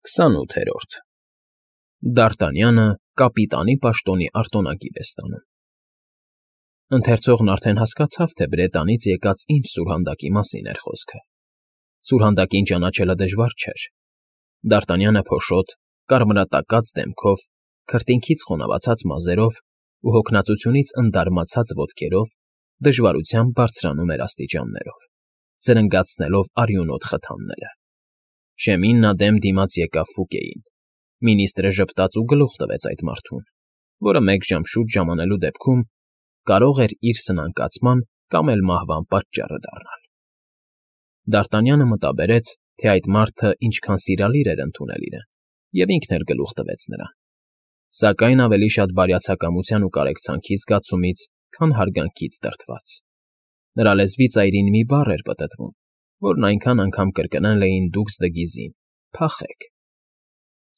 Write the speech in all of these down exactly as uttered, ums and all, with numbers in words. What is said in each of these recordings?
Քսանութերորդ Դ'Արտանյանը կապիտանի պաշտոնի արտոնակիր է ստանում։ Ընթերցողն արդեն հասկացավ, թե Բրետանից եկած ինչ սուրհանդակի մասին էր խոսքը։ Սուրհանդակին ճանաչելը դժվար չէր։ Դ'Արտանյանը փոշոտ, կարմրատակած դեմքով, քրտինքից խոնավացած մազերով ու հոգնածությունից ընդարմացած ոտքերով դժվարությամբ բարձրանում էր աստիճաններով, զրնգացնելով արյունոտ խթանները։ Շեմին նա դեմ դիմաց եկավ Ֆուկեին։ Մինիստրը ժպտաց ու գլուխ տվեց այդ մարդուն, որը մեկ ժամ շուտ ժամանելու դեպքում կարող էր իր սնանկացման կամ էլ մահվան պատճառը դառնալ։ Դ'Արտանյանը մտաբերեց, թե այդ մարդը ինչքան սիրալիր էր ընդունել իրեն, և ինքն էլ գլուխ տվեց նրան, սակայն ավելի շատ բարյացակամության ու կարեկցանքի զգացումից, քան հարգանքից դրդված։ Նրա լեզվի ծայրին մի բառ էր պտտվում, որն այնքան անգամ կրկնել էին դուքս Դգիզին. «Փախեք»։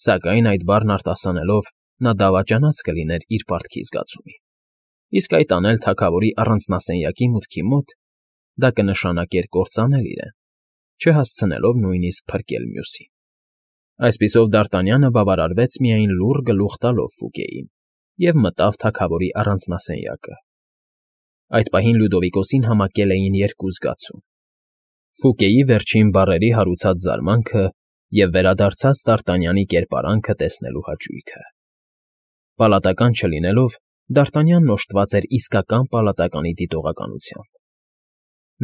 Սակայն այդ բառն արտասանելով՝ նա դավաճանած կլիներ իր պարտքի զգացումի, իսկ այդ անել թագավորի առանձնասենյակի մուտքի մոտ, դա կնշանակեր կործանել իրեն, չհասցնելով նույնիսկ փրկել մյուսին։ Այսպիսով Դ'Արտանյանը բավարարվեց միայն լուռ գլուխ տալով Ֆուկեին և մտավ թագավորի առանձնասենյակը։ Այդ պահին Լյուդովիկոսին համակել էին երկու զգացում. Ֆուկեի վերջին բառերի հարուցած զարմանքը և վերադարձած Դ'Արտանյանի կերպարանքը տեսնելու հաճույքը։ Պալատական չլինելով, Դ'Արտանյանն օժտված էր իսկական պալատականի դիտողականությամբ։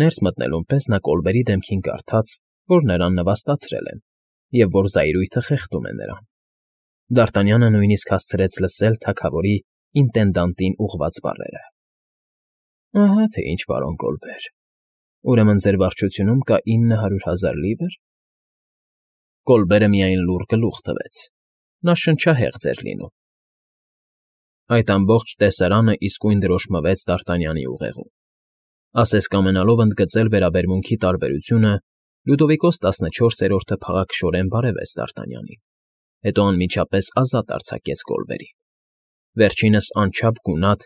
Ներս մտնելուն պես նա Կոլբերի դեմքին կարդաց, որ նրան նվաստացրել են և որ զայրույթը խեղդում է նրան։ Դ'Արտանյանը նույնիսկ հասցրեց լսել թագավորի ինտենդանտին ուղղված բառերը. «Ահա թե ինչ, պարոն Կոլբեր, ուրեմն ձեր վարչությունում կա ինը հարյուր հազար լիվր»։ Կոլբերը միայն լուռ գլուխ տվեց. նա շնչահեղձ էր լինում։ Այդ ամբողջ տեսարանը իսկույն դրոշմվեց Դ'Արտանյանի ուղեղում։ Ասես կամենալով ընդգծել վերաբերմունքի տարբերությունը, Լյուդովիկոս տասնչորսերորդը փաղաքշորեն բարևեց Դ'Արտանյանին, հետո անմիջապես ազատ արձակեց Կոլբերին։ Վերջինս անչափ գունատ,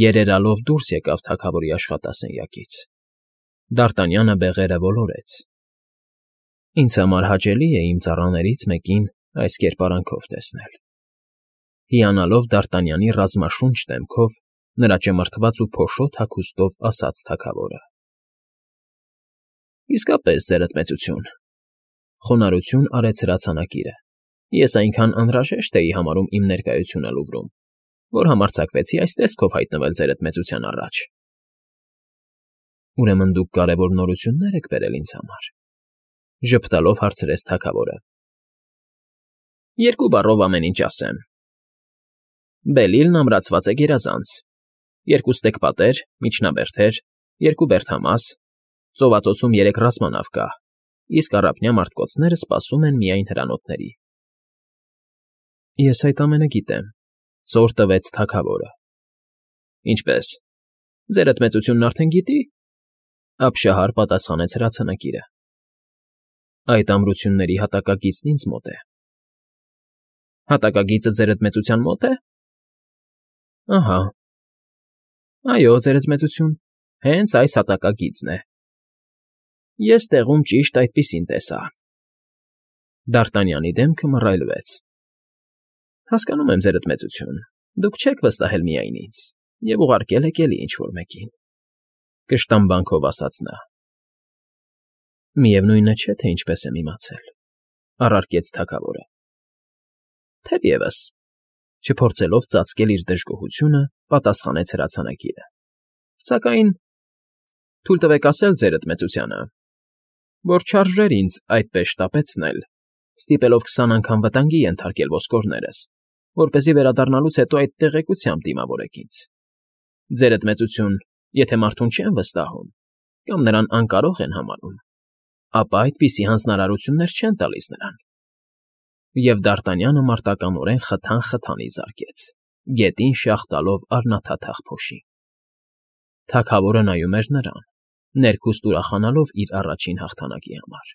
երերալով դուրս եկավ թագավորի աշխատասենյակից։ Դ'Արտանյանը բեղերը ոլորեց։ Ինձ համար հաճելի է իմ ծառաներից մեկին այս կերպարանքով տեսնել։ Հիանալով Դ'Արտանյանի ռազմաշունչ դեմքով, նրա ճմրթված ու փոշոտ հագուստով ասաց թագավորը. «Իսկապես, ձերդ մեծություն», խոնարհություն արեց հրացանակիրը։ «Ես այնքան անհրաժեշտ էի համարում իմ ներկայությունը Լուվրում, որ համարձակվեցի այս տեսքով հայտնվել ձերդ մեծության առաջ»։ «Ուրեմն դուք կարևոր նորություններ եք բերել ինձ համար», ժպտալով հարցրեց թագավորը։ «Երկու բառով ամեն ինչ ասեմ. Բելիլն ամրացված է գերազանց, երկու ստեկ պատեր, միջնաբերդեր, երկու բերդամաս, ծովածոցում երեք ռազմանավ կա, իսկ առափնյա մարտկոցները սպասում են միայն հրանոթների»։ «Ես այդ ամենը գիտեմ», ծոր տվեց թագավորը։ «Ինչպե՞ս, ձերդ մեծությունն արդեն գիտի», ապշահար պատասխանեց հրացանակիրը։ «Այդ ամրությունների հատակագիծն ինձ մոտ է»։ «Հատակագիծը ձերդ մեծության մոտ է»։ «Ահա»։ «Այո, ձերդ մեծություն, հենց այս հատակագիծն է։ Ես տեղում ճիշտ այդպիսին տեսա»։ Դ'Արտանյանի դեմքը մռայլվեց։ «Հասկանում եմ, ձերդ մեծություն, դուք չեք վստահել միայն ինձ և ուղարկել եք էլի ինչ֊որ մեկին», կշտամբանքով ասաց նա։ «Միևնույնը չէ, թե ինչպես եմ իմացել», առարկեց թագավորը։ «Թերևս», չփորձելով ծածկել իր դժգոհությունը, պատասխանեց հրացանակիրը։ «Սակայն թույլ տվեք ասել ձերդ մեծությանը, որ չարժեր ինձ այդպես շտապեցնել, ստիպելով քսան անգամ վտանգի ենթարկել ոսկորներս, որպեսզի վերադառնալուց հետո այդ տեղեկությամբ դիմավորեք ինձ։ Ձերդ մեծություն, եթե մարդուն չեն վստահում կամ նրան անկարող են համարում, ապա այդպիսի հանձնարարություններ չեն տալիս նրան»։ Եվ Դ'Արտանյանը մարտականորեն խթան֊խթանի զարկեց, գետին շաղ տալով առնաթաթախ փոշի։ Թագավորը նայում էր նրան, ներքուստ ուրախանալով իր առաջին հաղթանակի համար։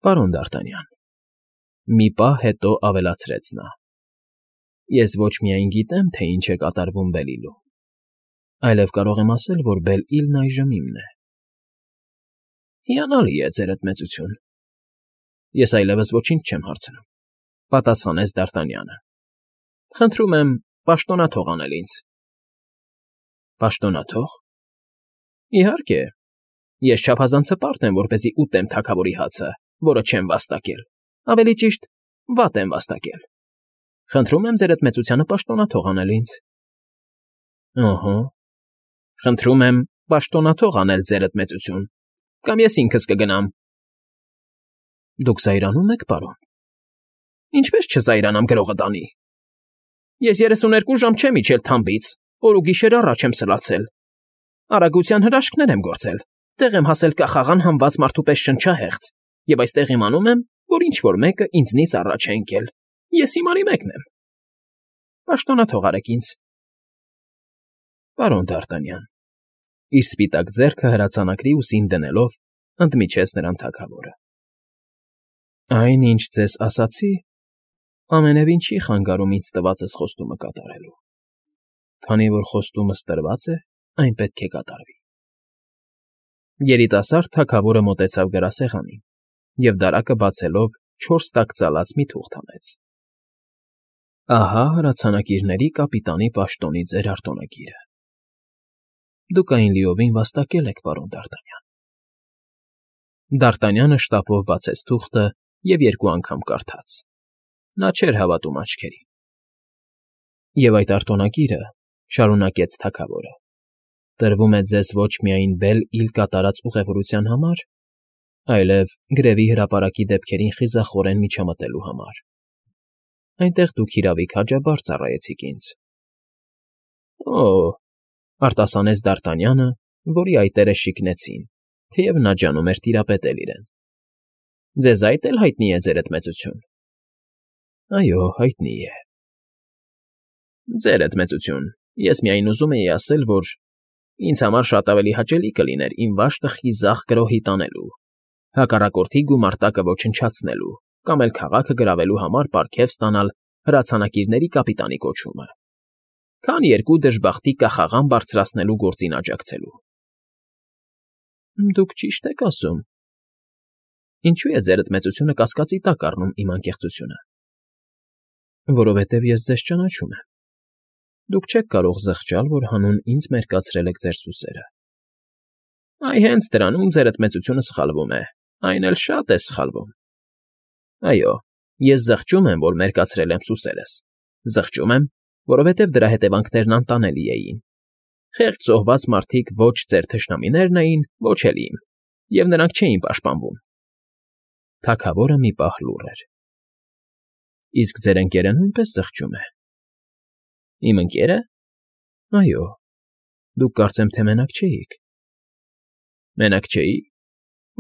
«Պարոն Դ'Արտանյան», մի պահ հետո ավելացրեց նա, «ես ոչ միայն գիտեմ, թե ինչ է կատարվում Բելիլում, այլև կարող եմ ասել, որ Բել֊Իլն այժմ իմն է»։ «Հիանալի է, ձերդ մեծություն, Ես այլևս ոչինչ չեմ հարցնում,֊ պատասխանեց Դ'Արտանյանը։ Խնդրում եմ պաշտոնաթող անել ինձ։ Պաշտոնաթող։ Իհարկե, ես չափազանց հպարտ եմ, որպեսզի ուտեմ թագավորի հացը, որը չեմ վաստակել, ավելի ճիշտ, վատ եմ վաստակել։ Խնդրում եմ ձերդ մեծությանը պաշտոնաթող անել ինձ։ Ըհը, խնդրում եմ պաշտոնաթող անել ձերդ մեծություն, կամ ես ինքս կգնամ։ Դուք զայրանում եք, պարոն։ Ինչպես չզայրանամ գրողը տանի։ Ես երեսուներկու ժամ չեմ իջել թամբից, օր ու գիշեր առաջ եմ սլացել։ Արագության հրաշքներ եմ գործել, տեղ եմ հասել կախաղան համված մարդու պես շնչահեղձ, և այստեղ իմանում եմ, որ ինչ-որ մեկը ինձնից առաջ է ընկել։ Ես հիմարի մեկն եմ։ Պաշտոնաթող արեք ինձ։ Պարոն Դ'Արտանյան, իր սպիտակ ձեռքը հրացանակրի ուսին դնելով, ընդմիջեց նրան թագավորը։ Այն, ինչ ձեզ ասացի, ամենևին չի խանգարում ինձ տվածս խոստումը կատարելու։ Քանի որ խոստումս տրված է, այն պետք է կատարվի։ Երիտասարդ թագավորը մոտեցավ գրասեղանին և դարակը բացելով չորս տակ ծալած մի թուղթ հանեց։ Ահա հրացանակիրների կապիտանի պաշտոնի ձեր արտոնագիրը։ Դուք այն լիովին վաստակել եք, պարոն Դ'Արտանյան։ Դ'Արտանյանը շտապով բացեց թուղթը և երկու անգամ կարդաց։ Նա չէր հավատում աչքերին։ Եվ այդ արտոնագիրը, շարունակեց թագավորը, տրվում է ձեզ ոչ միայն Բել֊Իլ կատարած ուղևորության համար, այլև գրևի հրապարակի դեպքերին խիզախորեն միջամտելու համար։ Այնտեղ դուք իրավիկ հաջաբար ծառայեցիք ինձ։ Օ՜, արտասանեց Դ'Արտանյանը, որի այտերը շիկնեցին, թեև նա ջանում էր տիրապետել իրեն։ Ձեզ այդ էլ հայտնի է, ձերդ մեծություն։ Այո, հայտնի է։ Ձերդ մեծություն, ես միայն ուզում էի ասել, որ ինձ համար շատ ավելի հաճելի կլիներ իմ վաշտը խիզախ գրոհի տանելու, հակառակորդի գումարտակը ոչնչացնելու կամ էլ քաղաքը գրավելու համար պարգև ստանալ հրացանակիրների կապիտանի կոչումը, քան երկու դժբախտի կախաղան բարձրացնելու գործին աջակցելու։ Դուք ճիշտ եք ասում։ Ինչու է ձերդ մեծությունը կասկածի տակ առնում իմ անկեղծությունը։ Որովհետև ես ձեզ ճանաչում եմ։ Դուք չեք կարող զղջալ, որ հանուն ինձ մերկացրել եք ձեր սուսերը։ Այ հենց դրանում ձերդ մեծությունը սխալվում է, այն էլ շատ է սխալվում։ Այո, ես զղջում եմ, որ մերկացրել եմ սուսերս։ Զղջում եմ, որովհետև դրա հետևանքներն անտանելի էին։ Խեղճ զոհված մարդիկ ոչ ձեր թշնամիներն էին, ոչ էլ իմ, և նրանք չէին պաշտպանվում։ Թագավորը մի պահ լուռ էր։ Իսկ ձեր ընկերը նույնպես զղջում է։ Իմ ընկերը։ Այո, դուք կարծեմ թե մենակ չէիք։ Մենակ չէի։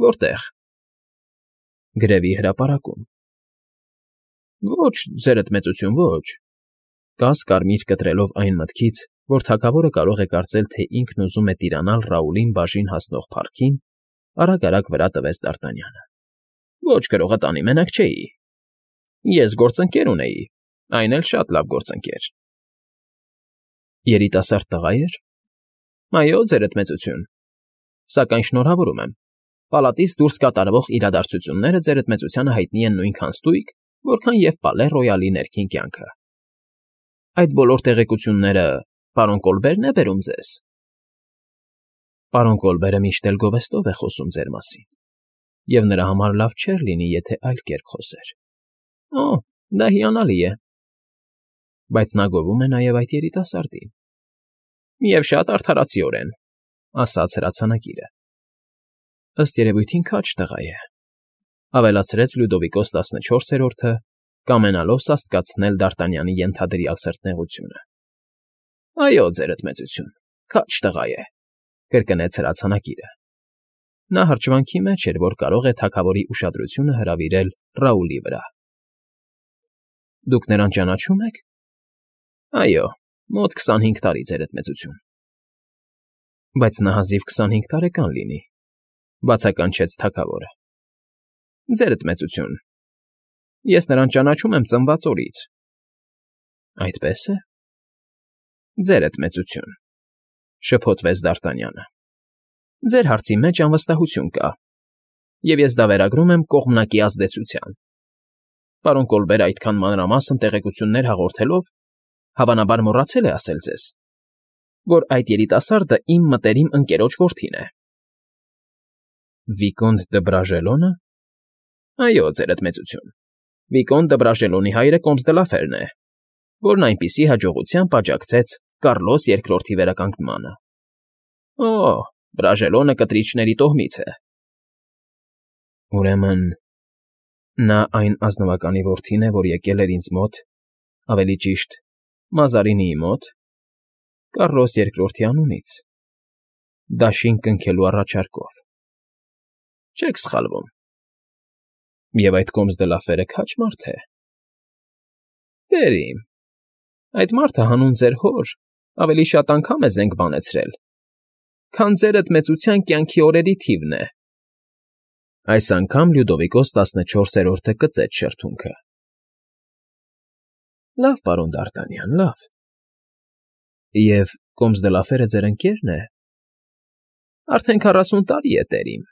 Որտե՞ղ։ Գրևի հրապարակում։ Ոչ, ձերդ մեծություն, ոչ։ Կաս կարմիր կտրելով այն մտքից, որ թագավորը կարող է կարծել, թե ինքն ուզում է տիրանալ Ռաուլին բաժին հասնող փառքին, արագ-արագ վրա տվեց Դ'Արտանյանը։ Ոչ, գրողը տանի մենակ չէի։ Ես գործընկեր ունեի, այն էլ շատ լավ գործընկեր։ Երիտասարդ տղա էր։ Այո, ձերդ մեծություն։ Սակայն շնորհավորում եմ։ Պալատից դուրս կատարվող իրադարձությունները ձերդ մեծությանը հայտնի են նույնքան ստույգ, որքան և Պալե Ռոյալի ներքին կյանքը։ Այդ բոլոր տեղեկությունները պարոն Կոլբերն է բերում ձեզ։ Պարոն Կոլբերը միշտ էլ գովեստով է խոսում ձեր մասին, և նրա համար լավ չէր լինի, եթե այլ կերպ խոսեր։ Օ, դա հիանալի է։ Բայց նա գովում է նաև այդ երիտասարդին։ Եվ շատ արդարացիորեն, ասաց հրացանակիրը։ Ըստ երևույթին քաջ տղա է, ավելացրեց Լյուդովիկոս տասնչորսերորդը, կամենալով սաստկացնել Դ'Արտանյանի ենթադրյալ սրտնեղությունը։ Այո, ձերդ մեծություն, քաջ տղա է, կրկնեց հրացանակիրը։ Նա հրճվանքի մեջ էր, որ կարող է թագավորի ուշադրությունը հրավիրել Ռաուլի վրա։ Դուք նրան ճանաչում եք։ Այո, մոտ քսանհինգ տարի, ձերդ մեծություն։ Բայց նա հազիվ քսանհինգ տարեկան լինի, բացականչեց թագավորը։ Ձերդ մեծություն, ես նրան ճանաչում եմ ծնված օրից։ Այդպե՞ս է։ Ձերդ մեծություն, շփոթվեց Դ'Արտանյանը։ Ձեր հարցի մեջ անվստահություն կա։ և ես դա վերագրում եմ կողմնակի ազդեցության։ Պարոն Կոլբերը այդքան մանրամասն տեղեկություններ հաղորդելով, հավանաբար մոռացել է ասել ձեզ, որ այդ երիտասարդը իմ մտերիմ ընկերոջ որդին է։ Վիկոնտ դը Բրաժելո՞նը։ Այո, ձերդ մեծություն, Վիկոնտ դը Բրաժելոնի հայրը Կոմս դը Լաֆերն է, որն այնպիսի հաջողությամբ աջակցեց Կառլոս երկրորդի վերականգնմանը։ Օ, Բրաժելոնը կտրիչների տոհմից է։ Ուրեմն նա այն ազնվականի որդին է, որ եկել էր ինձ մոտ, ավելի ճիշտ, Մազարինիի մոտ, Կառլոս երկրորդի անունից, դաշին կնքելու առաջարկով։ Չեք սխալվում։ Եվ այդ Կոմս դը Լաֆերը քաջ մարդ է։ Տեր իմ, այդ մարդը հանուն ձեր հոր ավելի շատ անգամ է զենք բանեցրել, քան ձերդ մեծության կյանքի օրերի թիվն է։ Այս անգամ Լյուդովիկոս տասնչորսերորդը կծեց շրթունքը։ Լավ, պարոն Դ'Արտանյան, լավ։ Եվ Կոմս դը Լաֆերը ձեր ընկե՞րն է։ Արդեն քառասուն տարի է, տեր իմ։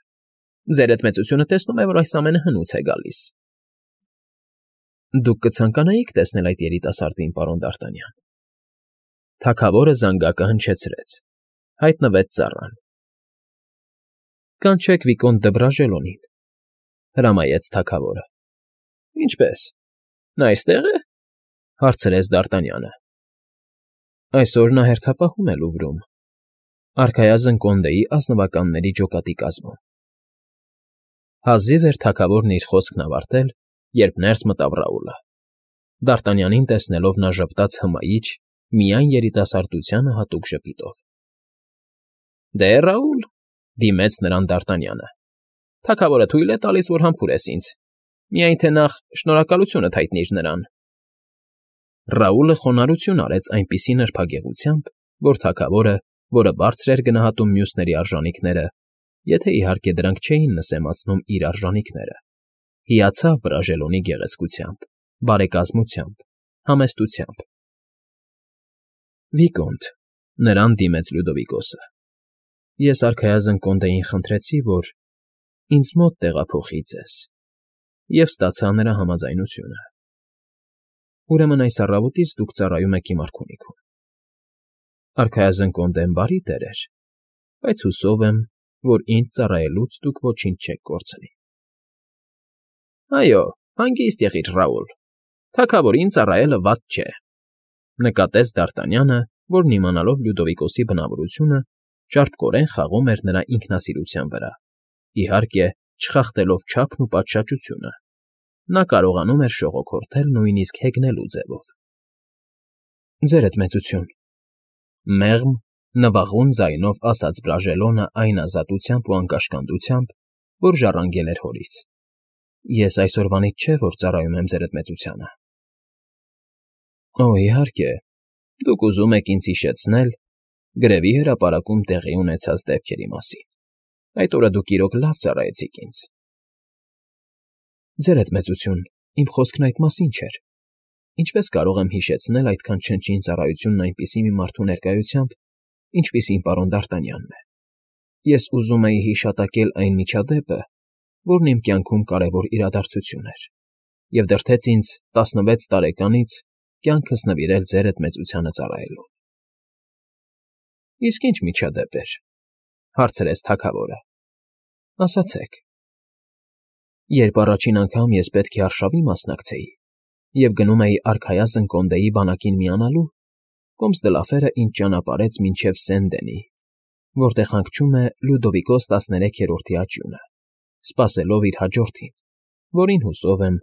Ձերդ մեծությունը տեսնում է, որ այս ամենը հնուց է գալիս։ Դուք կցանկանայիք տեսնել այդ երիտասարդին, պարոն Դ'Արտանյան։ Թագավորը զանգակը հնչեցրեց, հայտնվեց ծառան։ Կանչեք Վիկոնտ դը Բրաժելոնին, հրամայեց թագավորը։ Ինչպե՞ս, նա այստեղ է, հարցրեց Դ'Արտանյանը։ Այսօր նա հերթապահում է Լուվրում, արքայազն Կոնդեի ազնվականների ջոկատի կազմում։ Հազիվ էր թագավորն իր խոսքն ավարտել, երբ ներս մտավ Ռաուլը։ Դ'Արտանյանին տեսնելով նա ժպտաց հմայիչ, միայն երիտասարդությանը հատուկ ժպիտով։ Դե, Ռաուլ, դիմեց նրան Դ'Արտանյանը, թագավորը թույլ է տալիս, որ համբուրես ինձ, միայն թե նախ շնորհակալությունդ հայտնիր նրան։ Ռաուլը խոնարհություն արեց այնպիսի նրբագեղությամբ, որ թագավորը, որը բարձր էր գնահատում մյուսների արժանիքները, եթե իհարկե դրանք չէին նսեմացնում իր արժանիքները, հիացավ Բրաժելոնի գեղեցկությամբ, բարեկազմությամբ, համեստությամբ։ Վիկոնտ, նրան դիմեց Լյուդովիկոսը, ես արքայազն Կոնդեին խնդրեցի, որ ինձ մոտ տեղափոխի ձեզ, և ստացա նրա համաձայնությունը։ Ուրեմն այս առավոտից դուք ծառայում եք իմ արքունիքում։ Արքայազն Կոնդեն բարի տեր էր, բայց հուսով եմ, որ ինձ ծառայելուց դուք ոչինչ չեք կորցնի։ Այո, հանգիստ եղիր, Ռաուլ, թագավորին ծառայելը վատ չէ, նկատեց Դ'Արտանյանը, որն իմանալով Լյուդովիկոսի բնավորությունը, ճարպկորեն խաղում էր նրա ինքնասիրության վրա, իհարկե, չխախտելով չափն ու պատշաճությունը։ Նա կարողանում էր շողոքորթել նույնիսկ հեգնելու ձևով։ Ձերդ մեծություն, մեղմ, նվաղուն ձայնով ասաց Բրաժելոնը այն ազատությամբ ու անկաշկանդությամբ, որ ժառանգել էր հորից։ Ես այսօրվանից չէ, որ ծառայում եմ ձերդ մեծությանը։ Օ, իհարկե, դուք ուզում եք ինձ հիշեցնել գրևի հրապարակում տեղի ունեցած դեպքերի մասին։ Այդ օրը դուք իրոք լավ ծառայեցիք ինձ։ Ձերդ մեծություն, իմ խոսքն այդ մասին չէր։ Ինչպես կարող եմ հիշեցնել այդքան չնչին ծառայությունն այնպիսի մի մարդու ներկայությամբ, ինչպիսին պարոն Դ'Արտանյանն է։ Ես ուզում էի հիշատակել այն միջադեպը, որն իմ կյանքում կարևոր իրադարձություն էր, և դրդեց ինձ տասնվեց տարեկանից կյանքս նվիրել ձերդ մեծությանը ծառայելուն։ Իսկ ի՞նչ միջադեպ էր, հարցրեց թագավորը։ Ասացեք։ Երբ առաջին անգամ ես պետք է արշավի մասնակցեի և գնում էի արքայազն Կոնդեի բանակին միանալու, Կոմս դը Լաֆերը ինձ ճանապարհեց մինչև Սեն֊Դենի, որտեղ հանգչում է Լյուդովիկոս տասներեքերորդի աճյունը, սպասելով իր հաջորդին, որին, հուսով եմ,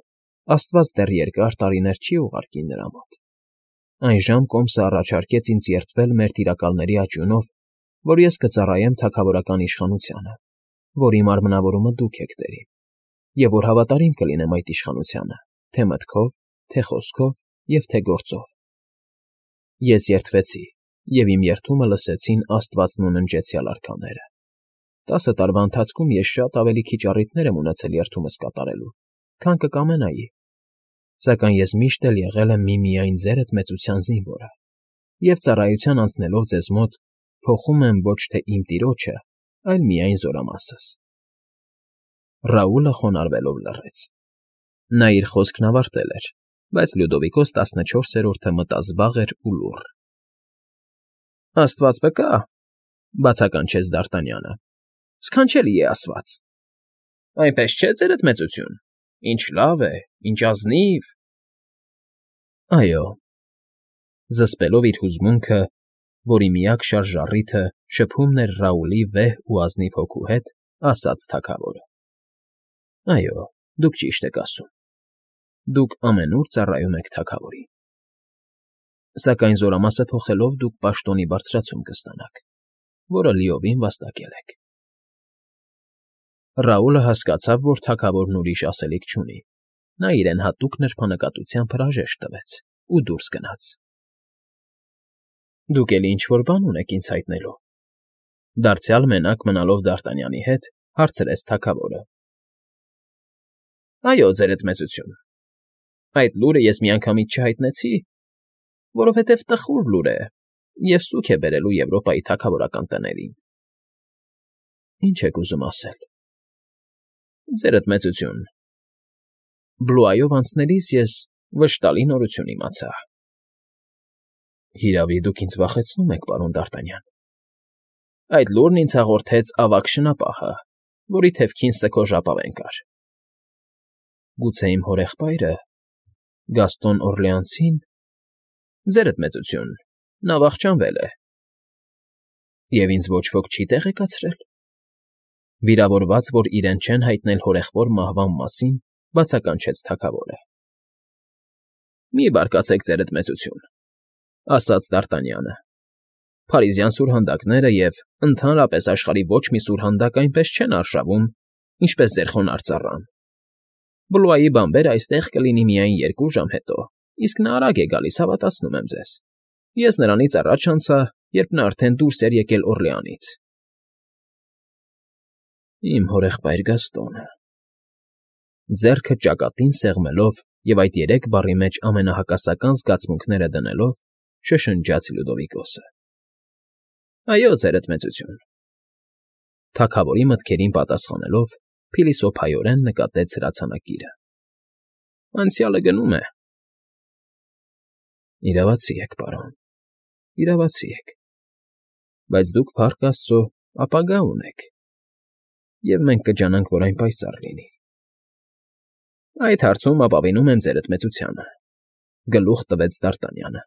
Աստված դեռ երկար տարիներ չի ուղարկի նրա մոտ։ Այնժամ Կոմսը առաջարկեց ինձ երդվել մեր տիրակալների աճյունով, որ ես կծառայեմ թագավորական իշխանությանը, որի մարմնավորումը դուք եք, տեր իմ, և որ հավատարիմ կլինեմ այդ իշխանությանը, թե մտքով, թե խոսքով և թե գործով։ Ես երդվեցի, և իմ երդումը լսեցին աստվածն ու ննջեցյալ արքաները։ Տասը տարվա ընթացքում ես շատ ավելի քիչ առիթներ եմ ունեցել երդումս կատարելու, քան կկամենայի, սակայն ես միշտ էլ եղել եմ միմիայն ձերդ մեծության զինվորը, և ծառայության անցնելով ձեզ մոտ փոխում եմ ոչ թե իմ տիրոջը, այլ միայն զորամասս։ Ռաուլը խոնարհվելով լռեց։ Նա իր խոսքն ավարտել էր, բայց Լյուդովիկոս տասնչորսերորդը մտազբաղ էր ու լուռ։ ֊ Աստված վկա,֊ բացականչեց Դ'Արտանյանը,֊ սքանչելի է ասված։ ֊ Այնպես չէ՞, ձերդ մեծություն, ինչ լավ է, ինչ ազնիվ… ֊ Այո,֊ զսպելով իր հուզմունքը, որի միակ շարժառիթը շփումն էր Ռաուլի վեհ ու ազնիվ հոգու հետ, ասաց թագավորը։֊ Այո, դուք ճիշտ եք ասում, դուք ամենուր ծառայում եք թագավորին… Սակայն զորամասը փոխելով դուք պաշտոնի բարձրացում կստանաք, որը լիովին վաստակել եք… Ռաուլը հասկացավ, որ թագավորն ուրիշ ասելիք չունի, նա իրեն հատուկ նրբանկատությամբ հրաժեշտ տվեց ու դուրս գնաց։ ֊ Դուք էլի ինչ֊որ բան ունեք ինձ հայտնելու,֊ դարձյալ մենակ մնալով Դ'Արտանյանի հետ, հարցրեց թագավորը։ ֊ Այո, ձերդ մեծություն, այդ լուրը ես միանգամից չհայտնեցի, որովհետև տխուր լուր է և սուգ է բերելու Եվրոպայի թագավորական տներին։ ֊ Ինչ եք ուզում ասել։ ֊ Ձերդ մեծություն, Բլուայով անցնելիս ես վշտալի նորություն իմացա։ ֊ Հիրավի, դուք ինձ վախեցնում եք, պարոն Դ'Արտանյան… Այդ լուրն ինձ հաղորդեց ավագ շնապահը, որի թևքին ստքո ժապավեն կար։ ֊ Գուցե իմ հորեղբայրը… Գաստոն Օրլեանցին… Ձերդ մեծություն, նա վախճանվել է… Եվ ինձ ոչ ոք չի տեղեկացրել… Վիրավորված, որ իրեն չեն հայտնել հորեղբոր մահվան մասին, բացականչեց թագավորը։ ֊ Մի բարկացեք, ձերդ մեծություն,֊ ասաց Դ'Արտանյանը,֊ փարիզյան սուրհանդակները և, ընդհանրապես, աշխարհի ոչ մի սուրհանդակ այնպես չեն արշավում, ինչպես ձեր խոնարհ ծառան… Բլուայի բանբերն այստեղ կլինի միայն երկու ժամ հետո, իսկ նա արագ է գալիս, հավատացնում եմ ձեզ… Ես նրանից առաջ անցա, երբ նա արդեն դուրս էր եկել Օրլեանից… ֊ Իմ հորեղբայր Գաստոնը…֊ Ձեռքը ճակատին սեղմելով և այդ երեք բառի մեջ ամենահակասական զգացմունքները դնելով, շշնջաց Լյուդովիկոսը։ ֊ Այո, ձերդ մեծություն… Թագավորի մտքերին պատասխանելով, փիլիսոփայորեն նկատեց հրացանակիրը։ ֊ Անցյալը գնում է… ֊ Իրավացի եք, պարոն, իրավացի եք… Բայց դուք, փառք աստծո, ապագա ունեք, և մենք կջանանք, որ այն պայծառ լինի… ֊ Այդ հարցում ապավինում եմ ձերդ մեծությանը,֊ գլուխ տվեց Դ'Արտանյանը։֊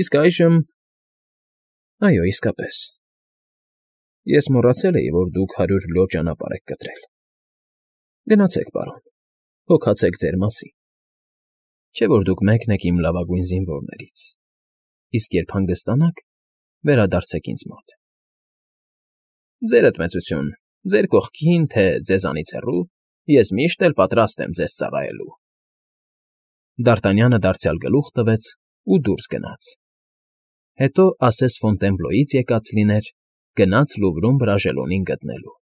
Իսկ այժմ… Այո, իսկապես… Ես մոռացել էի, որ դուք հարյուր լյո ճանապարհ եք կտրել… Գնացեք, պարոն, հոգացեք ձեր մասին… Չէ՞ որ դուք մեկն եք իմ լավագույն զինվորներից… Իսկ երբ հանգստանաք, վերադարձեք ինձ մոտ… ֊ Ձերդ մեծություն, ձեր կողքին, թե ձեզանից հեռու, ես միշտ էլ պատրաստ եմ ձեզ ծառայելու… Դ'Արտանյանը դարձյալ գլուխ տվեց ու դուրս գնաց… Հետո ասես Ֆոնտենբլոյից եկած լիներ, գնաց Լուվրում Բրաժելոնին գտնելու։